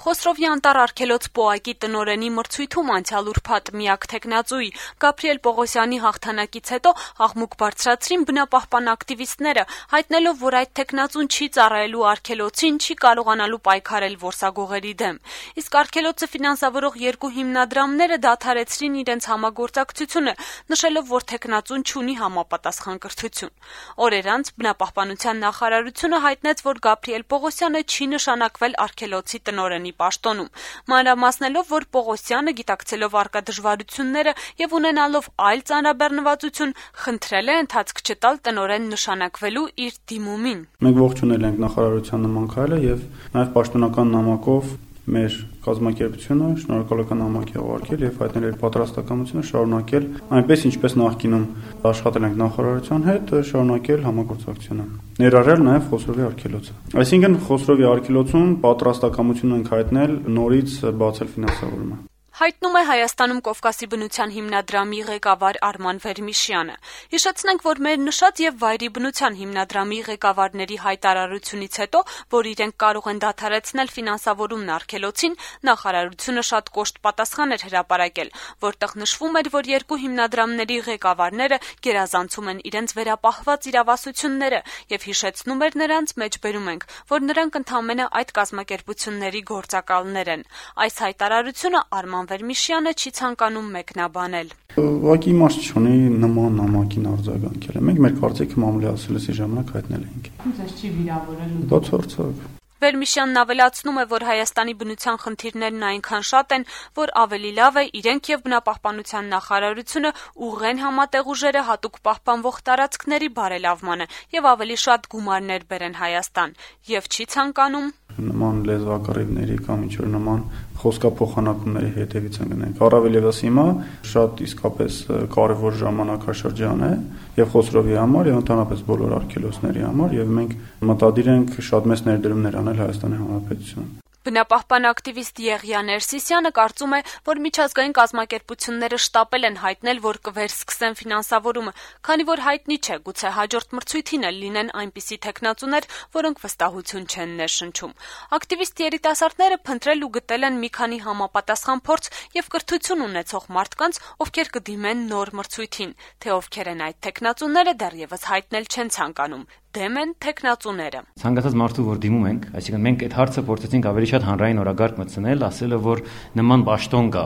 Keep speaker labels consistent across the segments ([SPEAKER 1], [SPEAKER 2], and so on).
[SPEAKER 1] Խոսրովի անտառ արգելոց պոակի տնօրենի մրցույթում անցյալ ուրբաթ միակ թեկնածուի Գաբրիել Պողոսյանի հաղթանակից հետո աղմուկ բարձրացրին բնապահպան ակտիվիստները, հայտնելով, որ այդ թեկնածուն չի ծառայելու արգելոցին, չի կարողանալու պայքարել որսագողերի դեմ։ Իսկ արգելոցը ֆինանսավորող երկու հիմնադրամները դադարեցրին իրենց համագործակցությունը, նշելով, որ թեկնածուն չունի համապատասխան կրթություն։ Օրեր անց բնապահպանության նախարարությունը հայտնեց, որ Գաբրիել Պողոսյանը չի նշանակվել արգելոցի տնօրենի պաշտոնում, մանրամասնելով, որ Պողոսյանը, գիտակցելով առկա դժվարությունները եւ ունենալով այլ ծանրաբեռնվածություն, խնդրել է ընթացք չտալ տնօրեն նշանակվելու իր դիմումին։
[SPEAKER 2] Մենք ողջունել ենք նախարարության նման քայլը եւ նաեւ պաշտոնական նամակով մեր կազմակերպությունը շնորհակալական նամակ է ուղարկել եւ հայտնել իր պատրաստակամությունը շարունակել այնպես ինչպես նախկինում աշխատել ենք նախարարության հետ, շարունակել համագործակցությունը, ներառյալ նաեւ Խոսրովի արգելոցը։ Այսինքն Խոսրովի արգելոցում պատրաստակամություն ենք հայտնել նորից բացել ֆինանսավորումը։
[SPEAKER 1] Հայտնում է Հայաստանում Կովկասի բնության հիմնադրամի ղեկավար Արման Վերմիշյանը։ Հիշեցնենք, որ մեր նշած եւ վայրի բնության հիմնադրամի ղեկավարների հայտարարությունից հետո, որ իրենք կարող են դադարեցնել ֆինանսավորումն արգելոցին, նախարարությունը շատ կոշտ պատասխան էր հրապարակել, որտեղ նշվում էր, որ երկու հիմնադրամների ղեկավարները գերազանցում են իրենց վերապահված իրավասությունները եւ հիշեցնում էր նրանց, մեջբերում ենք, որ նրանք ընդամենը այդ կազմակերպությունների գործակալներ են։ Այս հայտարարությունը Արման Վերմիշյանը չի ցանկանում մեկնաբանել։
[SPEAKER 2] Ուղղակի իմաստ չունի նման նամակին արձագանքել։ Մենք մեր կարծիքը մամուլի ժամանակ հայտնել ենք։
[SPEAKER 3] Ձեզ չի վիրավորել։
[SPEAKER 2] Դա ցորցակ։
[SPEAKER 1] Վերմիշյանն ավելացնում է, որ Հայաստանի բնության խնդիրներն այնքան շատ են, որ ավելի լավ է իրենք եւ բնապահպանության նախարարությունը ուղղեն համատեղ ուժերը հատուկ պահպանվող տարածքների բարելավմանը եւ ավելի շատ գումարներ բերեն Հայաստան եւ չի ցանկանում
[SPEAKER 2] նման լեզվակռիվների կամ ինչ-որ նման խոսքափոխանակումների հետևից են գնանք։ Առավել եւս հիմա շատ իսկապես կարևոր ժամանակաշրջան է եւ Խոսրովի համար եւ ընդհանրապես բոլոր արգելոցների համար եւ մենք մտադիր ենք շատ մեծ ներդրումներ անել Հայաստանի Հանրապետությունում։
[SPEAKER 1] Բնապահպան ակտիվիստ Եղիա Ներսիսյանը կարծում է, որ միջազգային կազմակերպությունները շտապել են հայտնել, որ կվերսկսեն ֆինանսավորումը, քանի որ հայտնի չէ, գուցե հաջորդ մրցույթին էլ լինեն այնպիսի թեկնածուներ, որոնք վստահություն չեն ներշնչում։ Ակտիվիստ երիտասարդները փնտրել ու գտել են մի քանի համապատասխան փորձ եւ կրթություն ունեցող մարդկանց, ովքեր կդիմեն նոր մրցույթին, թե ովքեր են այդ թեկնածուները դեռևս հայտնել չեն ցանկանում։ Դեմ են թեկնածուները։
[SPEAKER 4] Ցանկացած մարդու, որ դիմում ենք, այսինքն մենք այդ հարցը փորձեցինք ավելի շատ հանրային օրագարկ մտցնել, ասելը, որ նման պաշտոն կա,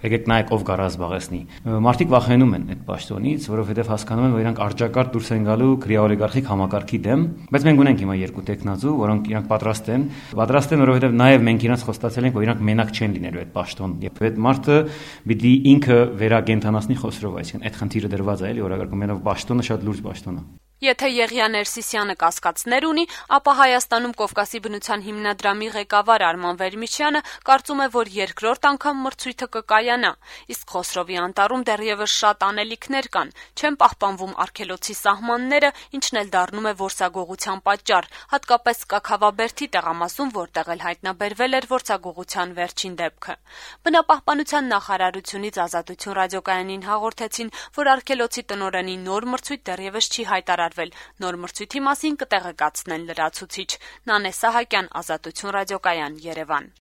[SPEAKER 4] եկեք նայեք ով կա զբաղեցնի։ Մարդիկ վախենում են այդ պաշտոնից, որովհետև հասկանում են, որ իրանք արճակարդ դուրս են գալու քրեաօլիգարխիկ համակարգի դեմ, բայց մենք ունենք հիմա երկու տեխնացու, որոնք իրանք պատրաստ են, որովհետև նաև մենք իրանք խոստացել ենք, որ իրանք մենակ չեն լինելու այդ պաշտոն։ Եվ այդ մարդը պիտի ինքը վերագենթանացնի Խոսրով, այսինքն այդ խնդիրը դրված է էլի օրագարկում, մենով պաշտոնը շատ լուրջ պաշտոն է։
[SPEAKER 1] Եթե Եղիա Ներսիսյանը կասկածներ ունի, ապա Հայաստանում Կովկասի բնության հիմնադրամի ղեկավար Արման Վերմիշյանը կարծում է, որ երկրորդ անգամ մրցույթը կկայանա, իսկ Խոսրովի անտառում դեռևս շատ անելիքներ կան, չեն պահպանվում արգելոցի սահմանները, ինչն էլ դառնում է որսագողության պատճառ, հատկապես Կաքավաբերդի տեղամասում, որտեղ էլ հայտնաբերվել էր որսագողության վերջին դեպքը։ Բնապահպանության նախարարությունից Ազատություն ռադիոկայանին հաղորդեցին, որ արգելոցի տնօրենի նոր մրցույթ դեռևս չի հայտարարվել, նոր մրցույթի մասին կտեղեկացնեն լրացուցիչ։ Նանե Սահակյան, Ազատություն ռադիոկայան, Երևան։